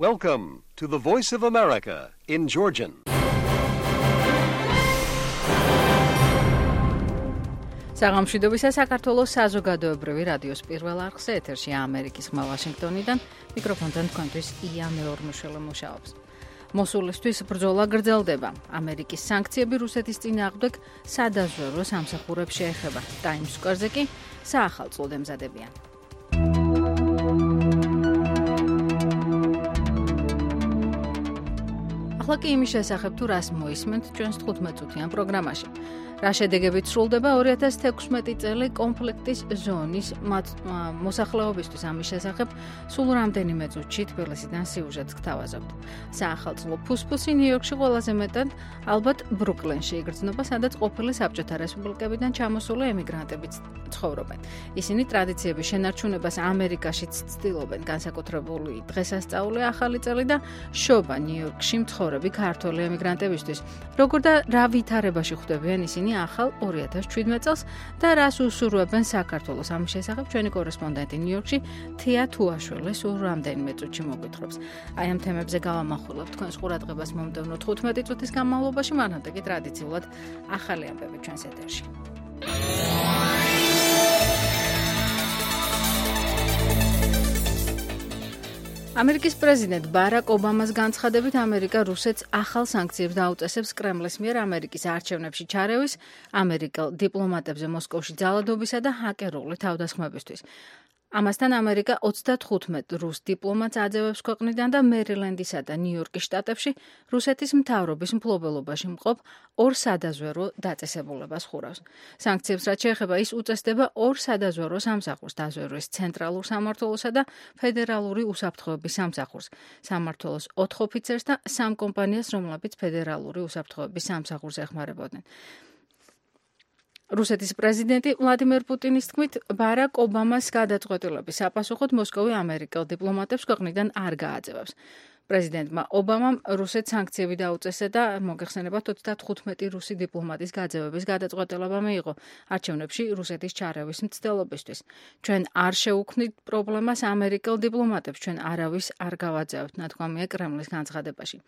Welcome to the Voice of America in Georgian. საღამშვიდობისა საქართველოს საზოგადოებრივი რადიოს პირველ არხზე ეთერში ამერიკის ხმა ვაშინგტონიდან მიკროფონთან თქვენთვის ია მეორმოშველა მუშაობს. მოსულისთვის ბრძოლა გრძელდება. ამერიკის სანქციები რუსეთის წინააღმდეგ სადაზვერვო სამსახურებს შეეხება. Times Square-ზე კი საახალწლოდ ემზადებიან. ახლა კი იმის შესახებ თუ რას მოისმენთ ჩვენს 15 წუთიან პროგრამაში. რა შედეგებით სრულდება 2016 წელი კონფლიქტის ზონის მოსახლეობისთვის ამის შესახებ სულ რამდენიმე წუთში თბილისიდან სიუჟეტს გთავაზობთ. საახალწლო ფუსფუსი ნიუ-იორკში ყველაზე მეტად ალბათ ბრუკლინში იგრძნობა, სადაც ყოფილი საბჭოთა რესპუბლიკებიდან ჩამოსული ემიგრანტებიც ცხოვრობენ. ისინი ტრადიციების შენარჩუნებას ამერიკაშიც ცდილობენ, განსაკუთრებული დღესასწაული ახალი წელი და შობა ნიუ-იორკში მცხოვრები ქართველი ემიგრანტებისთვის. როგორ და რა ვითარებაში ხვდებიან ისინი ახალ 2017 წელს და რას უსურვებენ საქართველოს ამის შესახებ ჩვენი კორესპონდენტი ნიუ-იორკში თია თუაშვილი სულ რამდენიმე წუთში მოგვითხრობს. აი ამ თემებზე გავამახვილებთ თქვენს ყურადღებას მომდევნო 15 წუთის განმავლობაში, მანამდე კი ტრადიციულად ახალი ამბები ჩვენს ეთერში. ამერიკის პრეზიდენტ ბარაკ ობამას განცხადებით ამერიკა რუსეთს ახალ სანქციებს დაუწესებს კრემლის მიერ ამერიკის არჩევნებში ჩარევის, ამერიკელ დიპლომატებზე მოსკოვში ძალადობისა და ჰაკერული თავდასხმებისთვის. ამასთან ამერიკა 35 რუს დიპლომატს აძევებს ქვეყნიდან და მერილენდისა და ნიუ-იორკის შტატებში რუსეთის მთავრობის მფლობელობაში მყოფ ორ სადაზვერვო დაწესებულებას ხურავს. სანქციებს რაც შეეხება ის უწესდება ორ სადაზვერვო სამსახურს, დაზვერვის ცენტრალურ სამმართველოსა და ფედერალური უსაფრთხოების სამსახურს, სამმართველოს 4 ოფიცერს და 3 კომპანიას, რომლებიც ფედერალური უსაფრთხოების სამსახურს ეხმარებოდნენ. რუსეთის პრეზიდენტი ვლადიმერ პუტინის თქმით, ბარაკ ობამას გადაწყვეტილების საპასუხოდ მოსკოვი ამერიკელ დიპლომატებს ქვეყნიდან არ გააძევებს. პრეზიდენტმა ობამამ რუსეთს სანქციები დაუწესა და მოგეხსენებათ 35 რუსი დიპლომატის გაძევების გადაწყვეტილება მიიღო არჩევნებში რუსეთის ჩარევის მცდელობისთვის. ჩვენ არ შევუქმნით პრობლემას ამერიკელ დიპლომატებს, ჩვენ არავის არ გავაძევთ, ნათქვამია კრემლის განცხადებაში.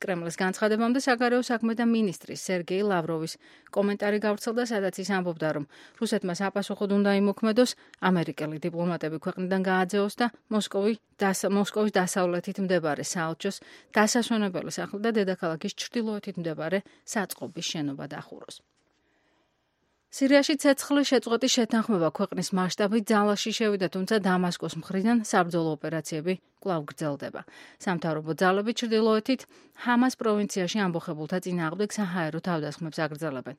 კრემლის განცხადებამდე საგარეო საქმეთა მინისტრის სერგეი ლავროვის კომენტარი გავრცელდა, სადაც ის ამბობდა, რომ რუსეთმა საპასუხოდ უნდა იმოქმედოს ამერიკელი დიპლომატები ქვეყნიდან გააძევოს და მოსკოვის დასავლეთით მდებარე საელჩოს დასასვენებელი სახლი და დედაქალაქის ჩრდილოეთით მდებარე საწყობის შენობა დახუროს. სირიაში ცეცხლის შეწყვეტის შეთანხმება ქვეყნის მასშტაბით ძალაში შევიდა, თუმცა დამასკოს მხრიდან საბრძოლო ოპერაციები კვლავ გრძელდება. სამთავრობო ძალები ჩრდილოეთით ჰამას პროვინციაში ამბოხებულთა წინააღმდეგ საჰაერო თავდასხმებს აგრძელებენ.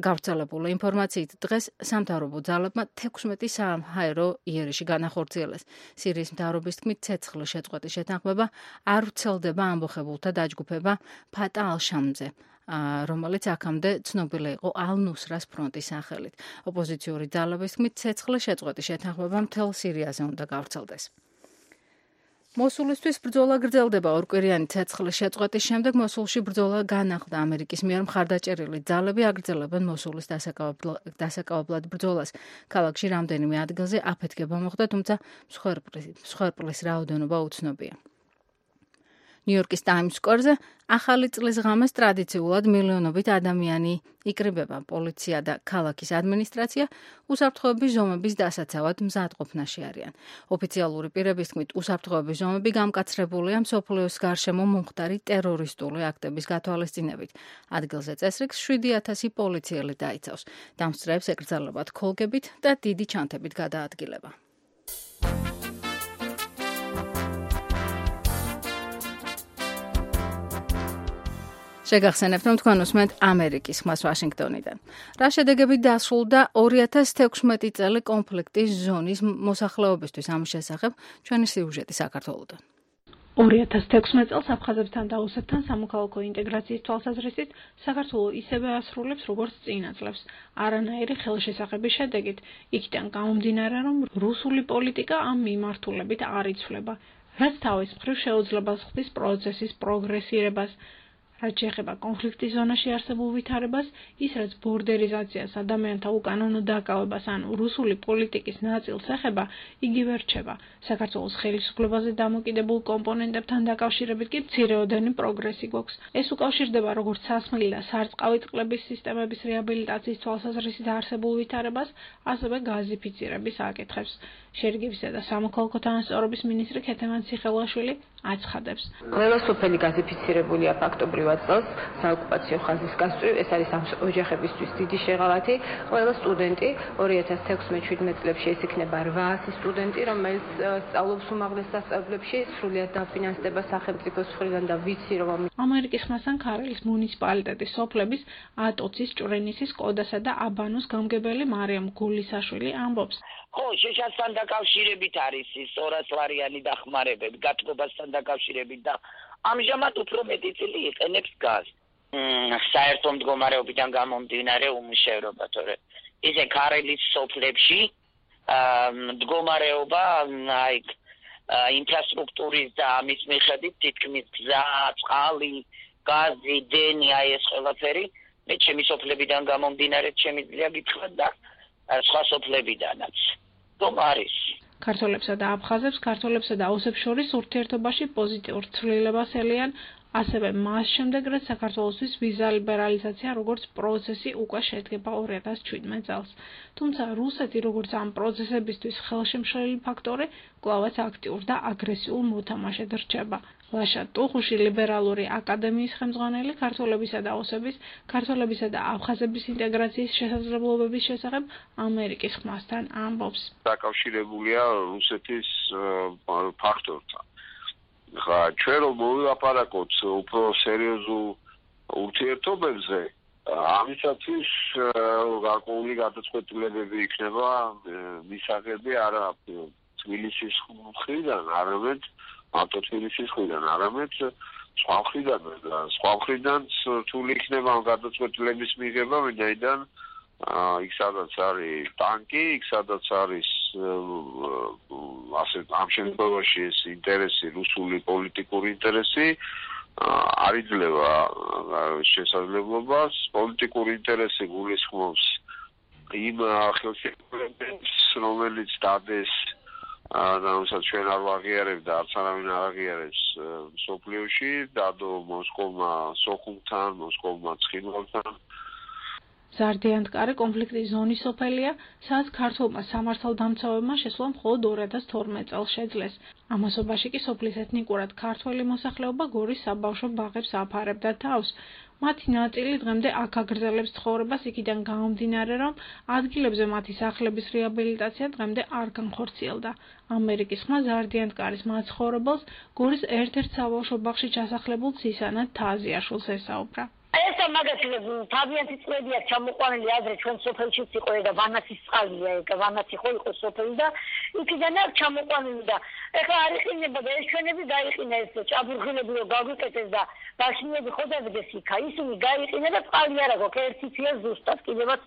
გავრცელებული ინფორმაციით დღეს სამთავრობო ძალებმა 16 საჰაერო იერიში განახორციელეს. სირიის მთავრობის თქმით, ცეცხლის შეწყვეტის შეთანხმება არ ვრცელდება ამბოხებულთა დაჯგუფება ფატა ალ-შამზე, რომელიც აქამდე ცნობილი იყო ალ-ნუსრას ფრონტის სახელით. ოპოზიციური ძალების თქმით, ცეცხლის შეწყვეტის შეთანხმება მთელ სირიაზე უნდა გავრცელდეს. მოსულისთვის ბრძოლა გრძელდება. ორკვირიანი ცეცხლის შეწყვეტის შემდეგ მოსულში ბრძოლა განახლდა. ამერიკის მიერ მხარდაჭერილი ძალები აგრძელებენ მოსულის დასაკავებლად ბრძოლას. ქალაქში რამდენიმე ადგილზე აფეთქება მოხდა, თუმცა მსხვერპლის რაოდენობა უცნობია. ნიუ-იორკის Times Square-ზე ახალი წლის ღამეს ტრადიციულად მილიონობით ადამიანი იკრიბება. პოლიცია და ქალაქის ადმინისტრაცია უსაფრთხოების ზომების დასაცავად მზადყოფნაში არიან. ოფიციალური პირების თქმით, უსაფრთხოების ზომები გამკაცრებულია მსოფლიოს გარშემო მომხდარი ტერორისტული აქტების გათვალისწინებით. ადგილზე წესრიგს 7,000 პოლიციელი დაიცავს. დამსწრეებს ეკრძალებათ ქოლგებით და დიდი ჩანთებით გადაადგილება. შეგახსენებთ, რომ თქვენ უსმენთ ამერიკის ხმას ვაშინგტონიდან. რა შედეგებით დასრულდა 2016 წელი კონფლიქტის ზონის მოსახლეობისთვის ამის შესახებ ჩვენი სიუჟეტი საქართველოდან. 2016 წელს აფხაზებთან და ოსეთთან სამოქალაქო ინტეგრაციის თვალსაზრისით საქართველო ისევე ასრულებს, როგორც წინა წლებს, არანაირი ხელშესახების შედეგით. იქიდან გამომდინარე, რომ რუსული პოლიტიკა ამ მიმართულებით არ იცვლება, რაც თავის მხრივ შეუძლებას ხდის პროცესის პროგრესირებას. რაც შეეხება კონფლიქტის ზონაში არსებულ ვითარებას, ის რაც ბორდერიზაციას, ადამიანთა უკანონო დაკავებას ან რუსული პოლიტიკის ნაწილს ეხება, იგივე რჩება. საქართველოს ხელისუფლებაზე დამოკიდებულ კომპონენტებთან დაკავშირებით კი მცირეოდენი პროგრესი გვაქვს. ეს უკავშირდება როგორც სასმელი და სარწყავი წყლების სისტემების რეაბილიტაციის თვალსაზრისით არსებულ ვითარებას, ასევე გაზიფიცირების აკითხებს. შერიგებისა და სამოქალაქო თანასწორობის მინისტრი ქეთევან ციხელაშვილი აცხადებს. ყველა სოფელი გაზიფიცირებულია ფაქტობრივად წელს საოკუპაციო ხაზის გასწვრივ, ეს არის ამ ოჯახებისთვის დიდი შეღავათი. ყველა სტუდენტი 2016-17 წლებში ეს იქნება 800 სტუდენტი, რომელიც სწავლობს უმაღლეს სასწავლებლებში, სრულიად დაფინანსდება სახელმწიფოს მხრიდან და ვიცი რომ ამერიკის ხმასთან ქარელის მუნიციპალიტეტის სოფლების ატოცის, ჭვრენისის, კოდასა და აბანოს გამგებელი მარიამ გულისაშვილი ამბობს. ხო, შეშასთან დაკავშირებით არის ის 200 ლარიანი დახმარებები, გათბობასთან დაკავშირებით და ამჟამად უფრო მეტი წილი იყენებს გაზს. საერთო მდგომარეობიდან გამომდინარე უმუშევრობა, თორე ისე ქარელის სოფლებში მდგომარეობა ინფრასტრუქტურის და ამის მიხედვით თითქმის გზა, წყალი, გაზი, დენი, ეს ყველაფერი მე ჩემი სოფლებიდან გამომდინარე შემიძლია გითხრათ და სხვა სოფლებიდანაც. არის. ქართველებსა და აფხაზებს, ქართველებსა და ოსებს შორის ურთიერთობაში პოზიტიურ ცვლილებას ელიან, ასევე მას შემდეგ, რაც საქართველოსთვის ვიზა ლიბერალიზაცია როგორც პროცესი უკვე შედგება 2017 წელს. თუმცა რუსეთი როგორც ამ პროცესებისთვის ხელშემშლელი ფაქტორი, კვლავაც აქტიურ და აგრესიულ მოთამაშედ რჩება. ლაშა ტუხუში ლიბერალური აკადემიის ხელმძღვანელი ქართველებისა და ოსების, ქართველებისა და აფხაზების ინტეგრაციის შესაძლებლობების შესახებ ამერიკის ხმასთან ამბობს. დაკავშირებულია რუსეთის ფაქტორთან. ჩვენ რომ მოვილაპარაკოთ უფრო სერიოზულ ურთიერთობებზე, ამისათვის გარკვეული გადაწყვეტილებები იქნება მისაღები არა თბილისის მხრიდან, არამედ თბილისის მხრიდან, არამედ სხვა მხრიდან და სხვა მხრიდან რთული იქნება ამ გადაწყვეტილების მიღება, ვინაიდან იქ სადაც არის ტანკი, იქ სადაც არის ამ შემთხვევაში ეს ინტერესი, რუსული პოლიტიკური ინტერესი არ იძლევა შესაძლებლობას. პოლიტიკური ინტერესი გულისხმობს იმ ხელშეკრულებებს, რომელიც დადეს და რომელსაც ჩვენ არ ვაღიარებთ და არც არავინ არ აღიარებს მსოფლიოში, დადო მოსკოვმა სოხუმთან, მოსკოვმა ცხინვალთან. ზარდიანტკარი კონფლიქტის ზონის სოფელია, სადაც ქართველმა სამართალდამცავებმა შესვლა მხოლოდ 2012 წელს შეძლეს. ამასობაში კი სოფლის ეთნიკურად ქართველი მოსახლეობა გორის საბავშვო ბაღებს აფარებდა თავს. მათი ნაწილი დღემდე აქ აგრძელებს ცხოვრებას იქიდან გამომდინარე, რომ ადგილებზე მათი სახლების რეაბილიტაცია დღემდე არ განხორციელდა. ამერიკის ხმა ზარდიანტკარის მაცხოვრებელს გორის ერთ-ერთ საბავშვო ბაღში ჩასახლებულ ცისანა თაზიაშვილს ესაუბრა. ეს მაგათი თავიანთი წლებია ჩამოყვანილი ადრე ჩვენ სოფელშიც იყო და ვანაცის წყალია, ვანაცი ხო იყო სოფელი და იქიდან არ ჩამოყვანილი და ეხლა არ იყინება და ეს ჩვენები დაიყინა ეს ჭაბურღილები რომ გაგვიკეთეს და ბაშნიები ხო დადგეს იქა, ისინი გაიყინა და წყალი არა გვაქვს, ერთი ცია ზუსტად კიდევაც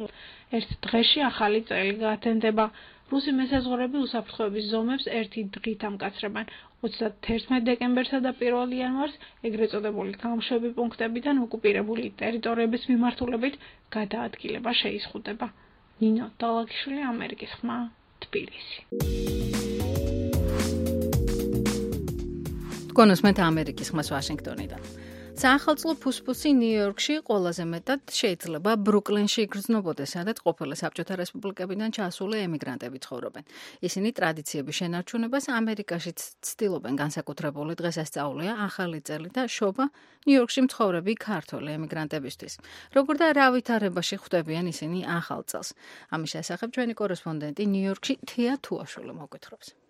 ერთ დღეში ახალი წელი გათენდება. რუსი მესაზღვრეები უსაფრთხოების ზომებს ერთი დღით ამკაცრებენ. 31 დეკემბერსა და 1 იანვარს ეგრეთ წოდებული გამშვები პუნქტებიდან ოკუპირებული ტერიტორიების მიმართულებით გადაადგილება შეიზღუდება. ნინო დალაგიშვილი, ამერიკის ხმა, თბილისი. გონოსმეთ ამერიკის ხმას ვაშინგტონიდან. საახალწლო ფუსფუსი ნიუ-იორკში ყველაზე მეტად შეიძლება ბრუკლინში იგრძნობოდეს, სადაც ყოფილი საბჭოთა რესპუბლიკებიდან ჩასული ემიგრანტები ცხოვრობენ. ისინი ტრადიციების შენარჩუნებას ამერიკაშიც ცდილობენ, განსაკუთრებული დღესასწაულია ახალი წელი და შობა ნიუ-იორკში მცხოვრები ქართველი ემიგრანტებისთვის. როგორ და რა ვითარებაში ხვდებიან ისინი ახალ წელს? ამის შესახებ ჩვენი კორესპონდენტი ნიუ-იორკში თია თუაშვილი მოგვითხრობს.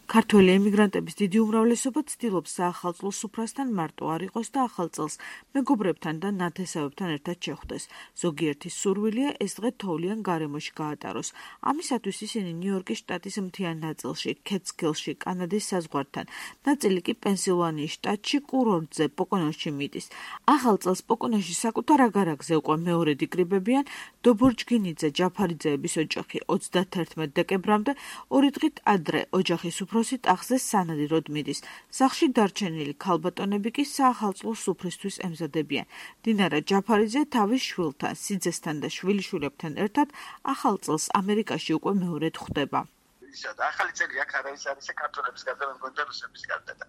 ქართველი ემიგრანტების დიდი უმრავლესობა ცდილობს საახალწლო სუფრასთან მარტო არ იყოს და ახალ წელს მეგობრებთან და ნათესავებთან ერთად შეხვდეს. ზოგიერთის სურვილია ეს დღე თოვლიან გარემოში გაატაროს. ამისათვის ისინი ნიუ-იორკის შტატის მთიან ნაწილში, კეცკილში, კანადის საზღვართან, ნაწილი კი პენსილვანიის შტატში, კურორტზე, პოკონოში მიდის. ახალ წელს პოკონოში საკუთარ აგარაკზე უკვე მეორედ იკრიბებიან დობორჯგინიძე ჯაფარიძეების ოჯახი 31 დეკემბრამდე, 2 დღით ადრე ოჯახის უფროსი ტახტზე სანადიროდ მიდის. სახლში დარჩენილი ქალბატონები კი საახალწლო სუფრისთვის ემზადებიან. დინარა ჯაფარიძე თავის შვილთან, სიძესთან და შვილიშვილებთან ერთად ახალ წელს ამერიკაში უკვე მეორედ ხვდება. ახალი წელი აქ არავის არის საქართველოს გარდა მე მგონი და რუსების გარდა და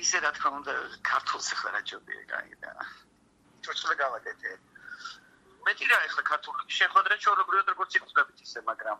ისე რა თქმა უნდა ქართულს ახლა რა ჯობია გაიგდა. ჩორჩლა გავაკეთე. მეტი რა ახლა ქართული შეხვედრა ჩვეულებრივად როგორც იხსნებით ისე, მაგრამ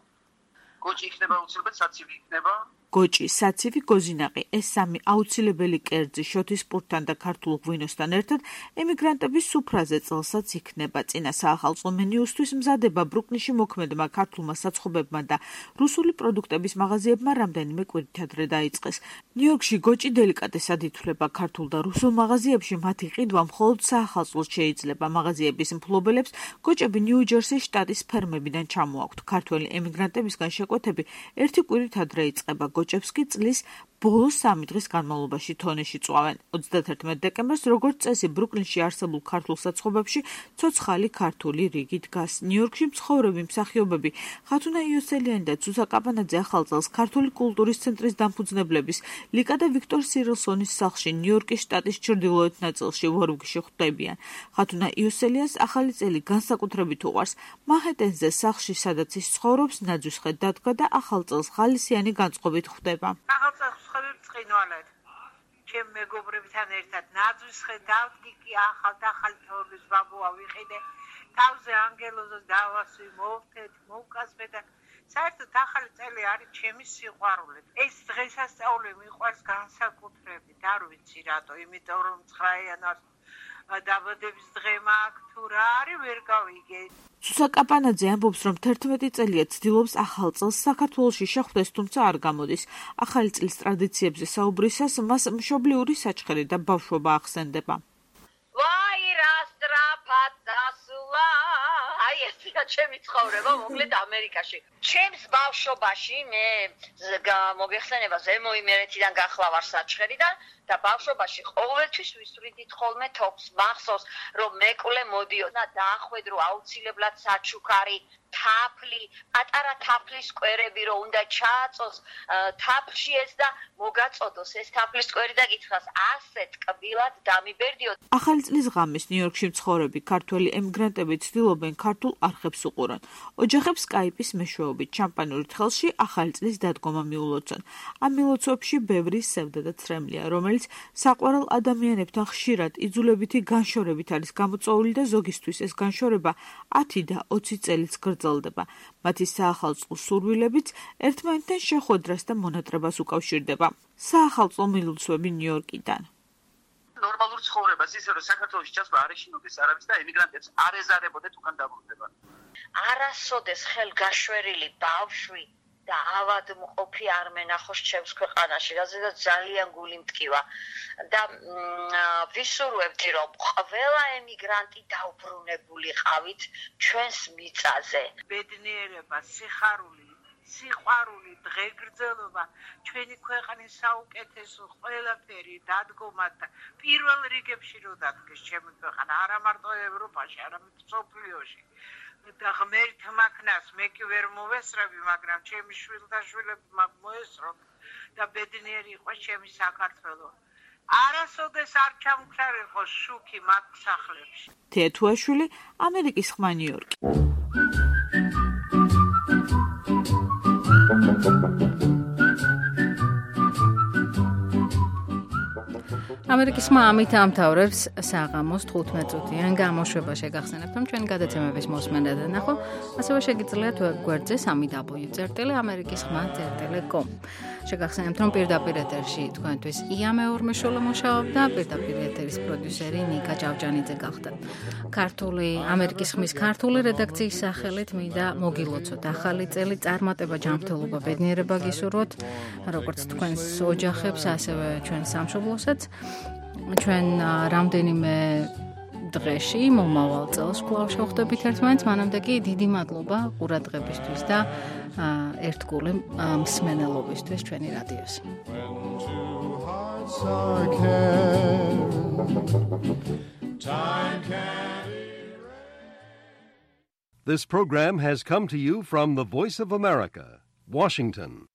გოჭი იქნება უცებად საცივი იქნება. გოჭი, საცივი, გოზინაყი, ეს სამი აუცილებელი კერძი შოთის პურთან და ქართულ ღვინოსთან ერთად ემიგრანტების სუფრაზე წელსაც იქნება. წინა საახალწლო მენიუსთვის მზადება ბრუკლინში მოქმედმა ქართულმა საცხობებმა და რუსული პროდუქტების მაღაზიებმა რამდენიმე კვირით ადრე დაიწყეს. ნიუ-იორკში გოჭი დელიკატესად ითვლება. ქართულ და რუსულ მაღაზიებში მათი ყიდვა მხოლოდ საახალწლოს შეიძლება. მაღაზიების მფლობელებს გოჭები ნიუ-ჯერსის შტატის ფერმებიდან ჩამოაქვთ. ქართველი ემიგრანტებისგან შეკვეთები ერთი კვირით ადრე იწყება. გოჭებს კი წლის ბოლოს 3 დღის განმავლობაში თონეში წვავენ. 31 დეკემბერს, როგორც წესი, ბრუკლინში არსებულ ქართულ საცხობებში ცოცხალი ქართული რიგი დგას. ნიუ-იორკში მცხოვრები მსახიობები ხათუნა იოსელიანი და ცუსა კაპანაძე ახალ წელს ქართული კულტურის ცენტრის დამფუძნებლების ლიკა და ვიქტორ სირილსონის სახლში ნიუ-იორკის შტატის ჩრდილოეთ ნაწილში ვორგვში ხვდებიან. ხათუნა იოსელიანს ახალი წელი განსაკუთრებით უყვარს. მანჰეტენზე სახლში, სადაც ის ცხოვრობს, ნაძვის ხე დადგა და ახალ წელს ღალისიანი განწყობით ხვდება. წინვალად ჩემ მეგობრებთან ერთად ნაძვის ხე დავდგი კი ახალ თოვლის ბაბუა ვიყიდე თავზე ანგელოზს დავასვი მოვთეთ მოვკასვე და საერთოდ ახალი წელი არის ჩემი სიყვარული ეს დღესასწაული მიყვარს განსაკუთრებით არ ვიცი რატო იმიტომ რომ 9 იანვარს დაბადების დღე მაქვს თუ რა არის ვერ გავიგე. ცუსა კაპანაძე ამბობს, რომ 11 წელია ცდილობს ახალ წელს საქართველოში შეხვდეს, თუმცა არ გამოდის. ახალი წლის ტრადიციებზე საუბრისას მას მშობლიური საჩხერი და ბავშვობა ახსენდება. ვაი რა სწრაფად დასულა. აი ესეა ჩემი ცხოვრება მოკლედ ამერიკაში. ჩემს ბავშვობაში მე მოგეხსენება ზემო იმერეთიდან გახლა ვარ საჩხერიდან და ბავშვობაში ყოველთვის ვისვრიდით ხოლმე თოფს მახსოვს რომ მეკლე მოდიოდა და დაახვედრო აუცილებლად საჩუქარი თაფლი პატარა თაფლის კვერები რომ უნდა ჩააწოს თაფლში ეს და მოგაწოდოს ეს თაფლის კვერი და გითხრას ასე ტკბილად დამიბერდიო. ახალი წლის ღამეს ნიუ-იორკში მცხოვრები ქართველი ემიგრანტები ცდილობენ ქართულ არხებს უყურონ. ოჯახებს სკაიპის მეშვეობით შამპანურით ხელში ახალი წლის დადგომა მიულოცონ. ამ მილოცვებში ბევრი სევდა და ცრემლია, რომელიც საყვარელ ადამიანებთან ხშირად იძულებითი განშორებით არის გამოწვეული და ზოგისთვის ეს განშორება 10 და 20 წელიც გრძელდება. მათი საახალწლო სურვილებიც ერთმანეთთან შეხვედრას და მონატრებას უკავშირდება. საახალწლო მილოცვები ნიუ-იორკიდან. ნორმალურ ცხოვრებას ისე რომ საქართველოში ჩასვლა არ ეშინოდეს არავის და ემიგრანტებს არ ეზარებოდეთ უკან დაბრუნდება. არასოდეს ხელგაშვერილი ბავშვი და ავადმყოფი არ მენახოს ჩემს ქვეყანაში, რაზედაც ძალიან გული მტკივა და ვისურვებდი რომ ყველა ემიგრანტი დაუბრუნებულიყავით ჩვენს მიწაზე. ბედნიერება, სიყვარული, დღეგრძელობა, ჩვენი ქვეყნის საუკეთესო ყველაფერი დადგომა და პირველ რიგებში რო დადგეს ჩემი ქვეყანა, არა მარტო ევროპაში, არამედ მსოფლიოში. და ღმერთ მაქნას მე კი ვერ მოვესწრები, მაგრამ ჩემი შვილთაშვილები მოესწროთ და ბედნიერი იყოს ჩემი საქართველო. არასოდეს არ ჩამქრალიყოს შუქი მათ სახლებში. თეთუაშვილი, ამერიკის ხმა ნიუ-იორკი. ამერიკის ხმა ამით ამთავრებს საღამოს 15 წუთიან გამოშვება. შეგახსენებთ, რომ ჩვენი გადაცემების მოსმენა და ნახვა ასევე შეგიძლიათ ვებგვერდზე www.amerikisxma.com. შეგახსენებთ, რომ პირდაპირ ეთერში თქვენთვის ია მეორმეშოლა მუშაობდა, პირდაპირ ეთერის პროდიუსერი ნიკა ჭავჭანიძე გახდა. ამერიკის ხმის ქართული რედაქციის სახელით მინდა მოგილოცოთ ახალი წელი, წარმატება, ჯანმრთელობა, ბედნიერება გისურვოთ, როგორც თქვენს ოჯახებს, ასევე ჩვენ სამშობლოსაც. ჩვენ რამდენიმე დღეში მომავალ წელს კვლავ შევხვდებით ერთმანეთს, მანამდე კი დიდი მადლობა ყურადღებისთვის და ერთგული მსმენელობისთვის ჩვენი რადიოს. This program has come to you from the Voice of America, Washington.